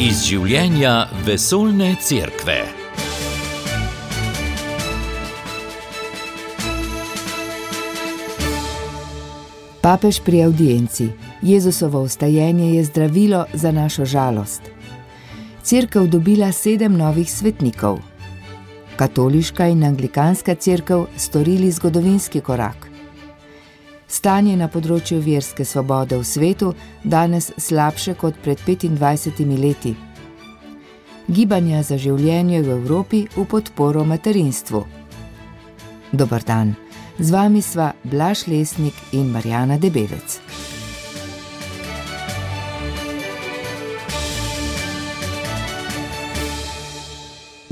Iz življenja vesoljne cerkve. Papež pri avdienci. Jezusovo vstajenje je zdravilo za našo žalost. Cerkev dobila 7 novih svetnikov. Katoliška in anglikanska cerkev storili zgodovinski korak. Stanje na področju verske svobode v svetu danes slabše kot pred 25 leti. Gibanja za življenje v Evropi v podporo materinstvu. Dober dan, z vami sva Blaž Lesnik in Marjana Debevec.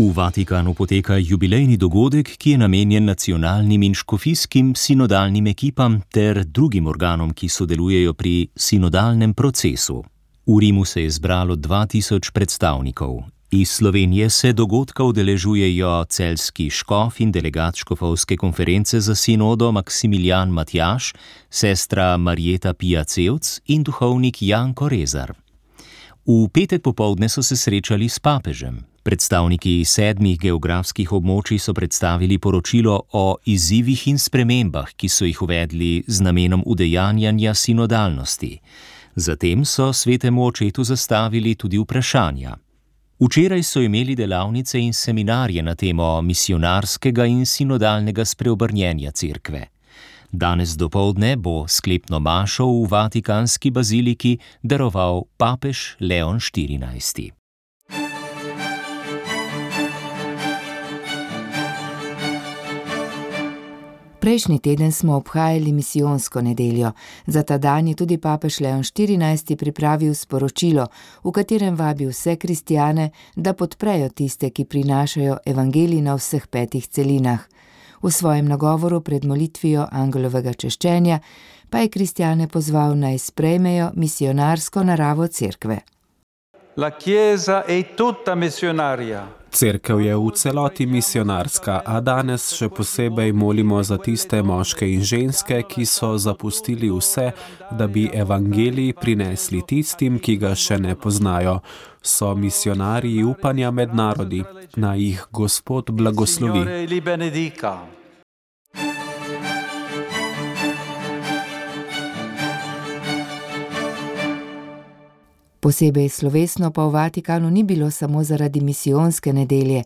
V Vatikanu poteka jubilejni dogodek, ki je namenjen nacionalnim in škofijskim sinodalnim ekipam ter drugim organom, ki sodelujejo pri sinodalnem procesu. V Rimu se je zbralo 2000 predstavnikov. Iz Slovenije se dogodka udeležujejo celjski škof in delegat škofovske konference za sinodo Maksimilijan Matjaž, sestra Marjeta Pija-Cevc in duhovnik Janko Rezar. V petek popoldne so se srečali s papežem. Predstavniki 7 geografskih območij so predstavili poročilo o izzivih in spremembah, ki so jih uvedli z namenom udejanjanja sinodalnosti. Zatem so svetemu očetu zastavili tudi vprašanja. Včeraj so imeli delavnice in seminarje na temo misionarskega in sinodalnega spreobrnjenja cerkve. Danes dopoldne bo sklepno mašo v Vatikanski baziliki daroval papež Leon XIV. Prejšnji teden smo obhajali misijonsko nedeljo. Za ta dan je tudi papež Leon XIV pripravil sporočilo, v katerem vabi vse kristjane, da podprejo tiste, ki prinašajo evangelij na vseh 5 celinah. V svojem nagovoru pred molitvijo angelovega češčenja pa je kristjane pozval, naj sprejmejo misionarsko naravo cerkve. La Chiesa è tutta missionaria. Cerkev je v celoti misionarska, a danes še posebej molimo za tiste moške in ženske, ki so zapustili vse, da bi evangelij prinesli tistim, ki ga še ne poznajo. So misionarji upanja med narodi, naj jih Gospod blagoslovi. Posebej slovesno pa v Vatikanu ni bilo samo zaradi misijonske nedelje,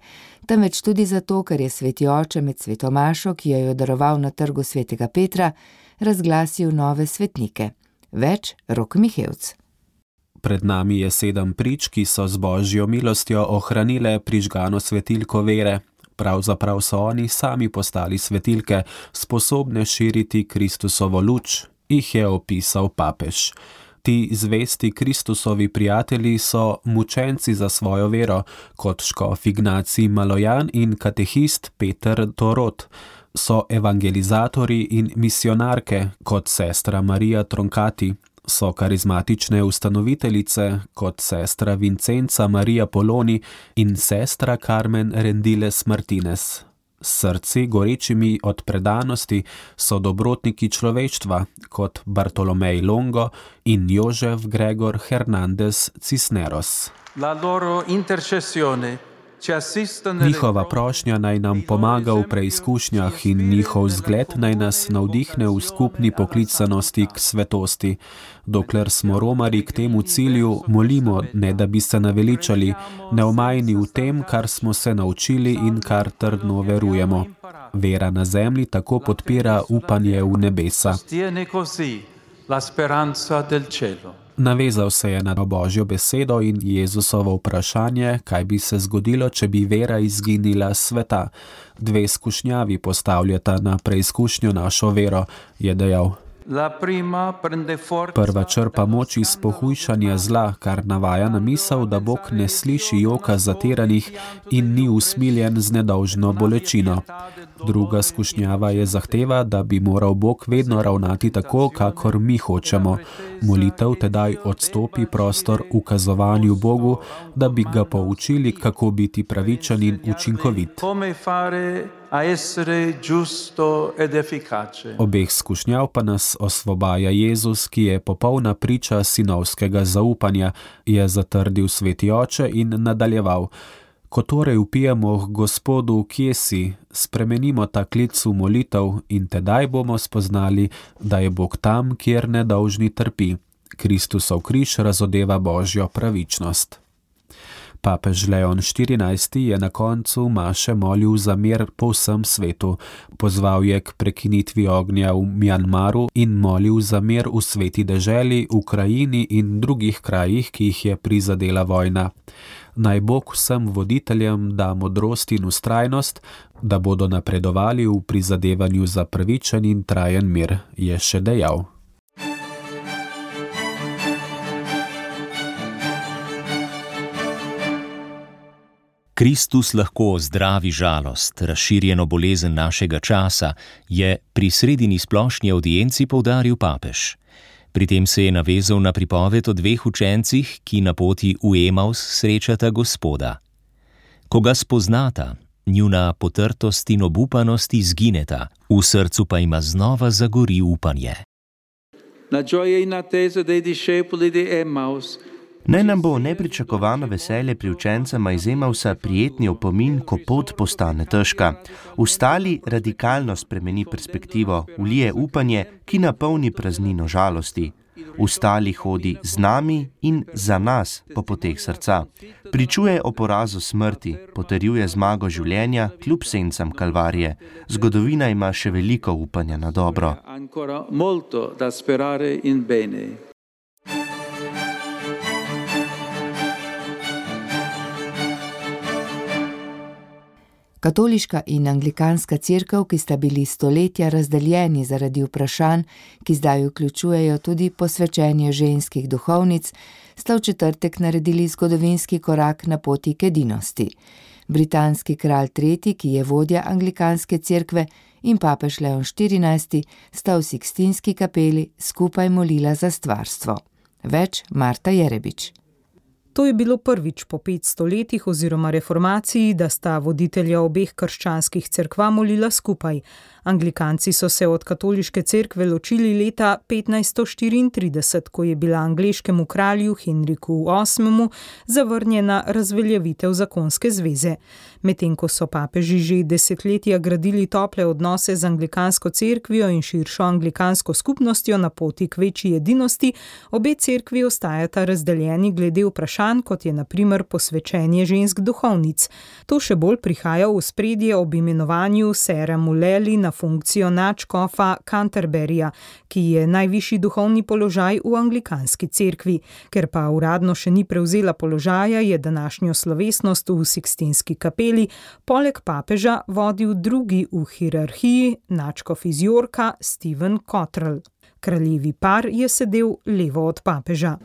temveč tudi zato, ker je sveti oče med sveto mašo, ki jo je daroval na trgu svetega Petra, razglasil nove svetnike. Več Rok Mihevc. Pred nami je 7 prič, ki so z božjo milostjo ohranile prižgano svetilko vere. Pravzaprav so oni sami postali svetilke, sposobne širiti Kristusovo luč, jih je opisal papež. Ti zvesti Kristusovi prijatelji so mučenci za svojo vero, kot škof Ignacij Malojan in katehist Peter Torot. So evangelizatori in misionarke, kot sestra Marija Troncati. So karizmatične ustanoviteljice, kot sestra Vincenza Marija Poloni in sestra Carmen Rendiles Martinez. S srci gorečimi od predanosti so dobrotniki človeštva, kot Bartolomej Longo in Jožef Gregor Hernandez Cisneros. Njihova prošnja naj nam pomaga v preizkušnjah in njihov zgled naj nas navdihne v skupni poklicanosti k svetosti. Dokler smo romari k temu cilju, molimo, ne da bi se naveličali, neomajni v tem, kar smo se naučili in kar trdno verujemo. Vera na zemlji tako podpira upanje v nebesa. Navezal se je na Božjo besedo in Jezusovo vprašanje, kaj bi se zgodilo, če bi vera izginila s sveta. 2 skušnjavi postavljata na preizkušnjo našo vero, je dejal. Prva črpa moč iz pohujšanja zla, kar navaja na misel, da Bog ne sliši joka zatiranih in ni usmiljen z nedolžno bolečino. Druga skušnjava je zahteva, da bi moral Bog vedno ravnati tako, kakor mi hočemo. Molitev tedaj odstopi prostor ukazovanju Bogu, da bi ga poučili, kako biti pravičen in učinkovit. Obeh skušnjav pa nas osvobaja Jezus, ki je popolna priča sinovskega zaupanja, je zatrdil sveti oče in nadaljeval: Ko torej vpijemo k Gospodu, kje si, spremenimo ta klic v molitev in tedaj bomo spoznali, da je Bog tam, kjer nedolžni trpi. Kristusov križ razodeva Božjo pravičnost. Papež Leon XIV je na koncu maše molil za mir po vsem svetu. Pozval je k prekinitvi ognja v Mjanmaru in molil za mir v sveti deželi, Ukrajini in drugih krajih, ki jih je prizadela vojna. Naj Bog vsem voditeljem da modrost in vztrajnost, da bodo napredovali v prizadevanju za pravičen in trajen mir, je še dejal. Kristus lahko zdravi žalost, razširjeno bolezen našega časa, je pri sredini splošni audienci poudaril papež. Pri tem se je navezal na pripoved o dveh učencih, ki na poti v Emaus srečata Gospoda. Ko ga spoznata, njuna potrtost in obupanost izgineta, v srcu pa ima znova zagori upanje. La gioia inattesa dei discepoli di Emmaus. Naj nam bo nepričakovano veselje pri učencema iz Emausa prijetni opomin, ko pot postane težka. Vstali radikalno spremeni perspektivo, vlije upanje, ki napolni praznino žalosti. Vstali hodi z nami in za nas po poteh srca. Pričuje o porazu smrti, potrjuje zmago življenja kljub sencam kalvarije. Zgodovina ima še veliko upanja na dobro. Katoliška in anglikanska cerkev, ki sta bili stoletja razdeljeni zaradi vprašanj, ki zdaj vključujejo tudi posvečenje ženskih duhovnic, sta v četrtek naredili zgodovinski korak na poti k edinosti. Britanski kralj III., ki je vodja anglikanske cerkve, in papež Leon XIV. Sta v Sikstinski kapeli skupaj molila za stvarstvo. Več Marta Jerebič. To je bilo prvič po 500 letih oziroma reformaciji, da sta voditelja obeh krščanskih cerkva molila skupaj. Anglikanci so se od katoliške cerkve ločili leta 1534, ko je bila angleškemu kralju Henriku VIII. Zavrnjena razveljavitev zakonske zveze. Medtem ko so papeži že desetletja gradili tople odnose z anglikansko cerkvijo in širšo anglikansko skupnostjo na poti k večji edinosti, obe cerkvi ostajata razdeljeni glede vprašanj, kot je na primer posvečenje žensk duhovnic. To še bolj prihaja v ospredje ob imenovanju sera Muleli na funkcijo nadškofa Canterburyja, ki je najvišji duhovni položaj v anglikanski cerkvi. Ker pa uradno še ni prevzela položaja, je današnjo slovesnost v Sikstinski kapeli poleg papeža vodil drugi v hierarhiji, nadškof iz Yorka, Stephen Cottrell. Kraljevi par je sedel levo od papeža.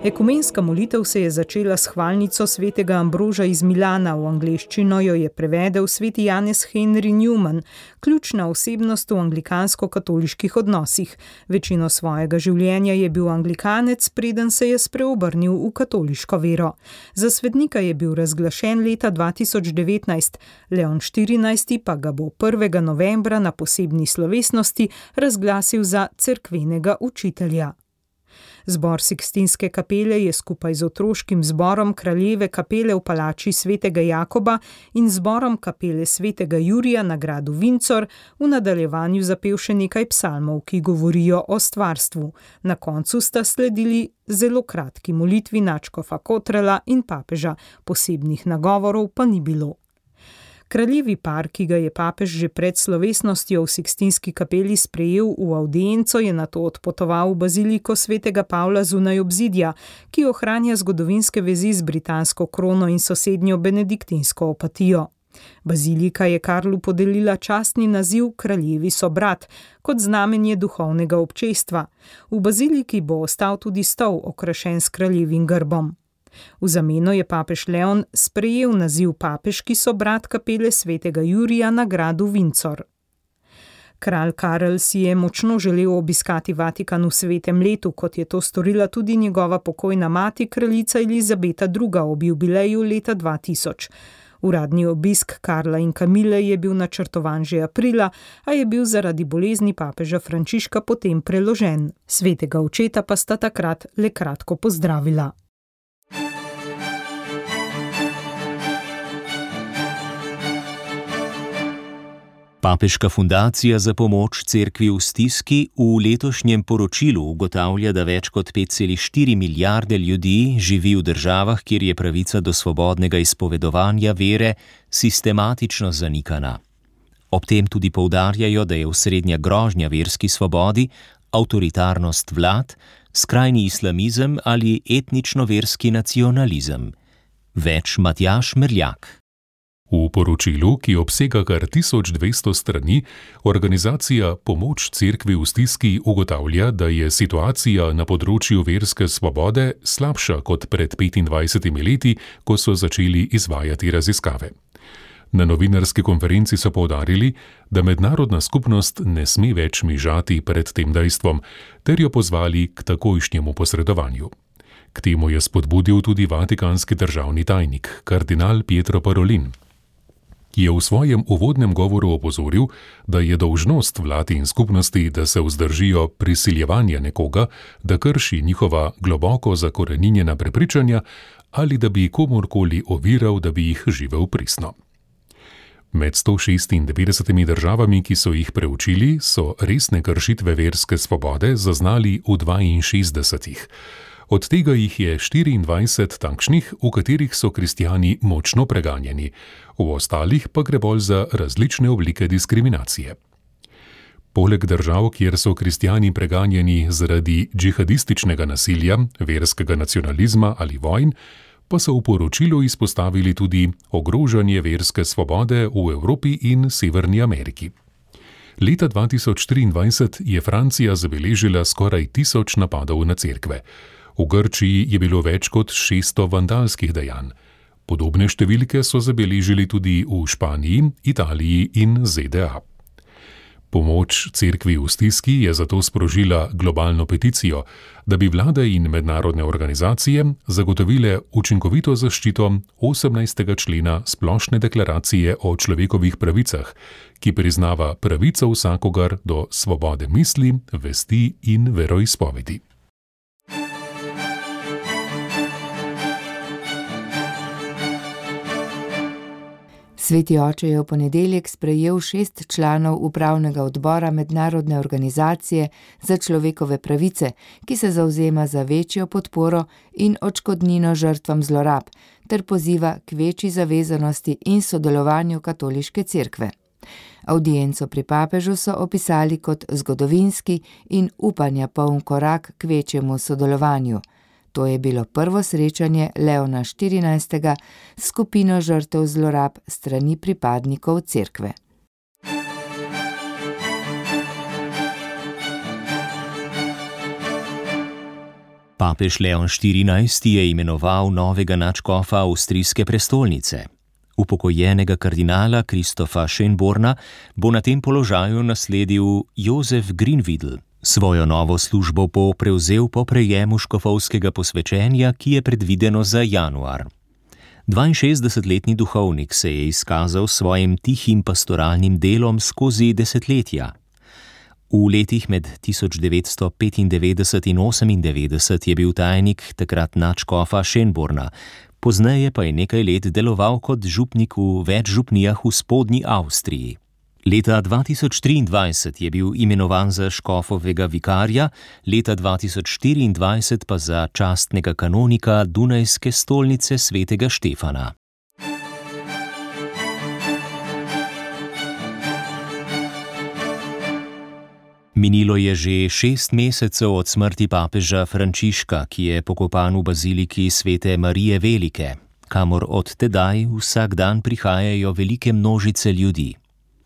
Ekumenska molitev se je začela s hvalnico svetega Ambroža iz Milana, v angleščino jo je prevedel sveti Janez Henry Newman, ključna osebnost v anglikansko-katoliških odnosih. Večino svojega življenja je bil anglikanec, preden se je spreobrnil v katoliško vero. Za svetnika je bil razglašen leta 2019, Leon XIV. Pa ga bo 1. novembra na posebni slovesnosti razglasil za cerkvenega učitelja. Zbor Sikstinske kapele je skupaj z otroškim zborom kraljeve kapele v palači svetega Jakoba in zborom kapele svetega Jurija na gradu Windsor v nadaljevanju zapel še nekaj psalmov, ki govorijo o stvarstvu. Na koncu sta sledili zelo kratki molitvi nadškofa Cottrella in papeža, posebnih nagovorov pa ni bilo. Kraljevi par, ki ga je papež že pred slovesnostjo v Sikstinski kapeli sprejel v avdienco, je nato odpotoval v baziliko svetega Pavla zunaj obzidja, ki ohranja zgodovinske vezi z britansko krono in sosednjo benediktinsko opatijo. Bazilika je Karlu podelila častni naziv kraljevi sobrat, kot znamenje duhovnega občestva. V baziliki bo ostal tudi stol, okrašen s kraljevim grbom. V zameno je papež Leon sprejel naziv papeški sobrat kapele svetega Jurija na gradu Windsor. Kralj Karel si je močno želel obiskati Vatikan v svetem letu, kot je to storila tudi njegova pokojna mati, kraljica Elizabeta II. Ob jubileju leta 2000. Uradni obisk Karla in Kamile je bil načrtovan že aprila, a je bil zaradi bolezni papeža Frančiška potem preložen. Svetega očeta pa sta takrat le kratko pozdravila. Papeška fundacija za pomoč cerkvi v stiski v letošnjem poročilu ugotavlja, da več kot 5,4 milijarde ljudi živi v državah, kjer je pravica do svobodnega izpovedovanja vere sistematično zanikana. Ob tem tudi poudarjajo, da je osrednja grožnja verski svobodi avtoritarnost vlad, skrajni islamizem ali etnično-verski nacionalizem. Več Matjaž Merljak. V poročilu, ki obsega kar 1200 strani, organizacija Pomoč cerkvi v stiski ugotavlja, da je situacija na področju verske svobode slabša kot pred 25 leti, ko so začeli izvajati raziskave. Na novinarski konferenci so poudarili, da mednarodna skupnost ne sme več mižati pred tem dejstvom, ter jo pozvali k takojšnjemu posredovanju. K temu je spodbudil tudi vatikanski državni tajnik, kardinal Pietro Parolin, ki je v svojem uvodnem govoru opozoril, da je dolžnost vlad in skupnosti, da se vzdržijo prisiljevanja nekoga, da krši njihova globoko zakoreninjena prepričanja ali da bi komorkoli oviral, da bi jih živel pristno. Med 196 državami, ki so jih preučili, so resne kršitve verske svobode zaznali v 62. Od tega jih je 24 takšnih, v katerih so kristjani močno preganjeni, v ostalih pa gre bolj za različne oblike diskriminacije. Poleg držav, kjer so kristjani preganjeni zaradi džihadističnega nasilja, verskega nacionalizma ali vojn, pa so v poročilu izpostavili tudi ogrožanje verske svobode v Evropi in Severni Ameriki. Leta 2023 je Francija zabeležila skoraj 1000 napadov na cerkve. V Grčiji je bilo več kot 600 vandalskih dejanj. Podobne številke so zabeležili tudi v Španiji, Italiji in ZDA. Pomoč cerkvi v stiski je zato sprožila globalno peticijo, da bi vlade in mednarodne organizacije zagotovile učinkovito zaščito 18. člena Splošne deklaracije o človekovih pravicah, ki priznava pravico vsakogar do svobode misli, vesti in veroizpovedi. Sveti oče je v ponedeljek sprejel 6 članov upravnega odbora Mednarodne organizacije za človekove pravice, ki se zavzema za večjo podporo in odškodnino žrtvam zlorab, ter poziva k večji zavezanosti in sodelovanju katoliške cerkve. Avdienco pri papežu so opisali kot zgodovinski in upanja poln korak k večjemu sodelovanju. To je bilo prvo srečanje Leona XIV. S skupino žrtev zlorab strani pripadnikov cerkve. Papež Leon XIV. Je imenoval novega nadškofa avstrijske prestolnice. Upokojenega kardinala Kristofa Schönborna bo na tem položaju nasledil Jozef Grinvidl. Svojo novo službo bo prevzel po prejemu škofovskega posvečenja, ki je predvideno za januar. 62-letni duhovnik se je izkazal s svojim tihim pastoralnim delom skozi desetletja. V letih med 1995 in 1998 je bil tajnik takrat nadškofa Schönborna, pozneje pa je nekaj let deloval kot župnik v več župnijah v spodnji Avstriji. Leta 2023 je bil imenovan za škofovega vikarja, leta 2024 pa za častnega kanonika Dunajske stolnice svetega Štefana. Minilo je že 6 mesecev od smrti papeža Frančiška, ki je pokopan v baziliki svete Marije Velike, kamor od tedaj vsak dan prihajajo velike množice ljudi.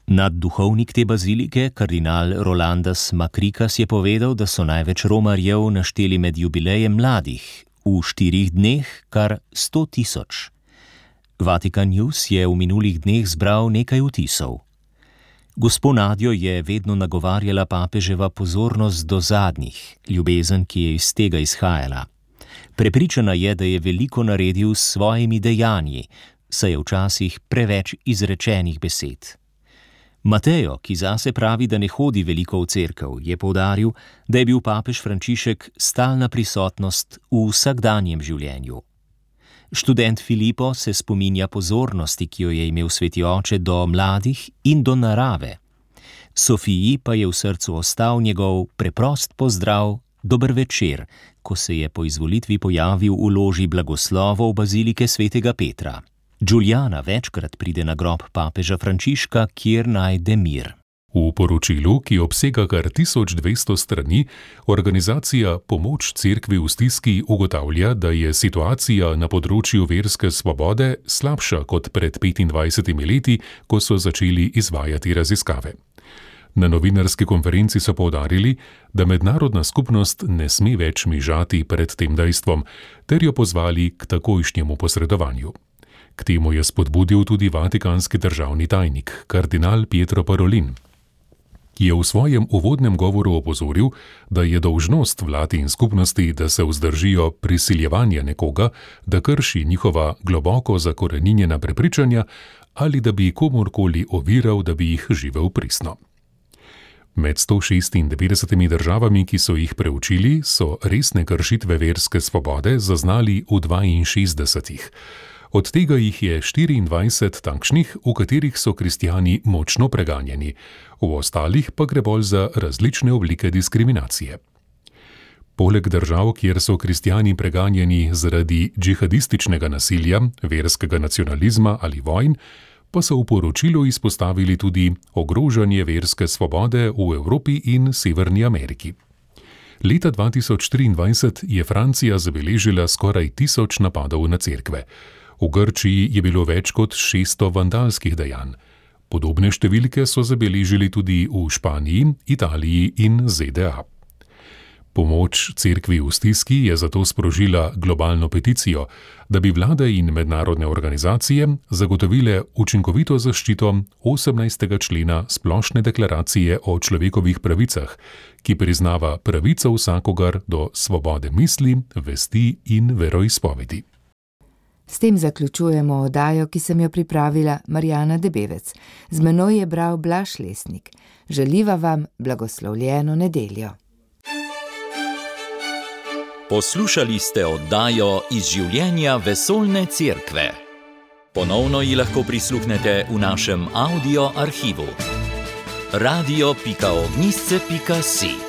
Nadduhovnik te bazilike, kardinal Rolandas Makrikas, je povedal, da so največ romarjev našteli med jubilejem mladih, v 4 dneh kar 100 000. Vatikan News je v minulih dneh zbral nekaj vtisov. Gospo Nadjo je vedno nagovarjala papeževa pozornost do zadnjih, ljubezen, ki je iz tega izhajala. Prepričana je, da je veliko naredil s svojimi dejanji, saj je včasih preveč izrečenih besed. Matejo, ki zase pravi, da ne hodi veliko v cerkev, je poudaril, da je bil papež Frančišek stalna prisotnost v vsakdanjem življenju. Študent Filipo se spominja pozornosti, ki jo je imel sveti oče do mladih in do narave. Sofiji pa je v srcu ostal njegov preprost pozdrav, dober večer, ko se je po izvolitvi pojavil v loži blagoslovov bazilike svetega Petra. Giuliana večkrat pride na grob papeža Frančiška, kjer najde mir. V poročilu, ki obsega kar 1200 strani, organizacija Pomoč cerkvi v stiski ugotavlja, da je situacija na področju verske svobode slabša kot pred 25 leti, ko so začeli izvajati raziskave. Na novinarski konferenci so poudarili, da mednarodna skupnost ne sme več mižati pred tem dejstvom, ter jo pozvali k takojšnjemu posredovanju. K temu je spodbudil tudi vatikanski državni tajnik, kardinal Pietro Parolin, ki je v svojem uvodnem govoru opozoril, da je dolžnost vlad in skupnosti, da se vzdržijo prisiljevanja nekoga, da krši njihova globoko zakoreninjena prepričanja ali da bi komorkoli oviral, da bi jih živel pristno. Med 196 državami, ki so jih preučili, so resne kršitve verske svobode zaznali v 62. Od tega jih je 24 takšnih, v katerih so kristjani močno preganjeni, v ostalih pa gre bolj za različne oblike diskriminacije. Poleg držav, kjer so kristjani preganjeni zaradi džihadističnega nasilja, verskega nacionalizma ali vojn, pa so v poročilu izpostavili tudi ogrožanje verske svobode v Evropi in Severni Ameriki. Leta 2023 je Francija zabeležila skoraj 1000 napadov na cerkve. V Grčiji je bilo več kot 600 vandalskih dejanj. Podobne številke so zabeležili tudi v Španiji, Italiji in ZDA. Pomoč cerkvi v stiski je zato sprožila globalno peticijo, da bi vlade in mednarodne organizacije zagotovile učinkovito zaščito 18. člena Splošne deklaracije o človekovih pravicah, ki priznava pravico vsakogar do svobode misli, vesti in veroizpovedi. S tem zaključujemo oddajo, ki sem jo pripravila Marjana Debevec. Z menoj je bral Blaž Lesnik. Želiva vam blagoslovljeno nedeljo. Poslušali ste oddajo Iz življenja vesoljne cerkve. Ponovno ji lahko prisluhnete v našem audio arhivu. radio.ognisce.si